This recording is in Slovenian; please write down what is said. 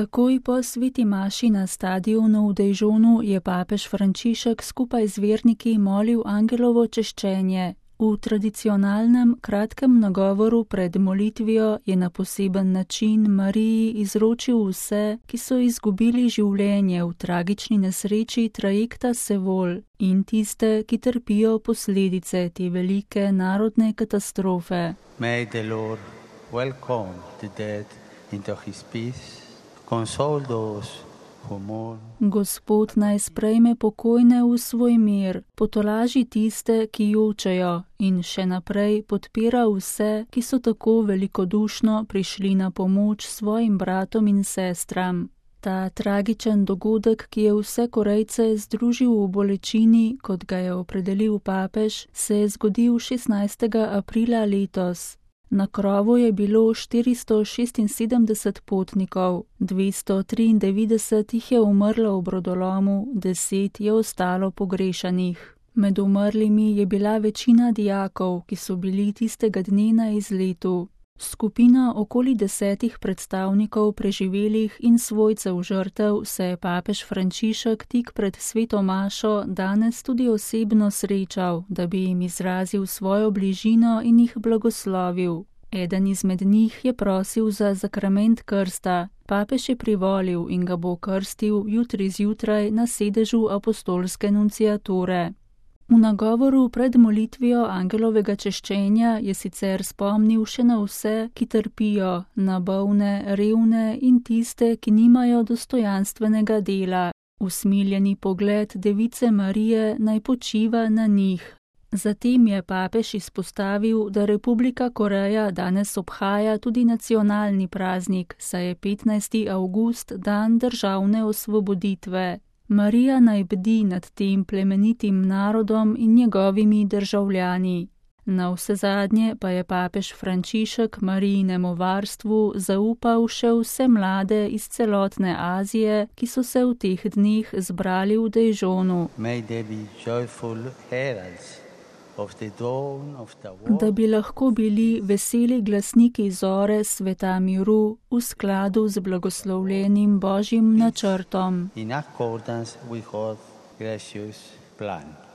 Takoj po sveti maši na stadionu v Dižonu je papež Frančišek skupaj z verniki molil angelovo češčenje. V tradicionalnem kratkem nagovoru pred molitvijo je na poseben način Mariji izročil vse, ki so izgubili življenje v tragični nesreči trajekta Sevol, in tiste, ki trpijo posledice te velike narodne katastrofe. May the Lord welcome the dead into his peace, console those who mourn. Gospod naj sprejme pokojne v svoj mir, potolaži tiste, ki jočejo, in še naprej podpira vse, ki so tako velikodušno prišli na pomoč svojim bratom in sestram. Ta tragičen dogodek, ki je vse Korejce združil v bolečini, kot ga je opredelil papež, se je zgodil 16. aprila letos. Na krovu je bilo 476 potnikov, 293 jih je umrlo v brodolomu, 10 je ostalo pogrešanih. Med umrlimi je bila večina dijakov, ki so bili tistega dne na izletu. Skupina okoli 10 predstavnikov preživelih in svojcev žrtev se je papež Frančišek tik pred sveto mašo danes tudi osebno srečal, da bi jim izrazil svojo bližino in jih blagoslovil. Eden izmed njih je prosil za zakrament krsta. Papež je privolil in ga bo krstil jutri zjutraj na sedežu apostolske nunciature. V nagovoru pred molitvijo angelovega češčenja je sicer spomnil še na vse, ki trpijo, na bolne, revne in tiste, ki nimajo dostojanstvenega dela. Usmiljeni pogled device Marije naj počiva na njih. Zatem je papež izpostavil, da Republika Koreja danes obhaja tudi nacionalni praznik, saj je 15. avgust dan državne osvoboditve. Marija naj bdi nad tem plemenitim narodom in njegovimi državljani. Na vsezadnje pa je papež Frančišek Marijinemu varstvu zaupal še vse mlade iz celotne Azije, ki so se v teh dneh zbrali v Dižonu. Da bi lahko bili veseli glasniki zore sveta miru v skladu z blagoslovljenim Božjim načrtom. In accordance with God's gracious plan.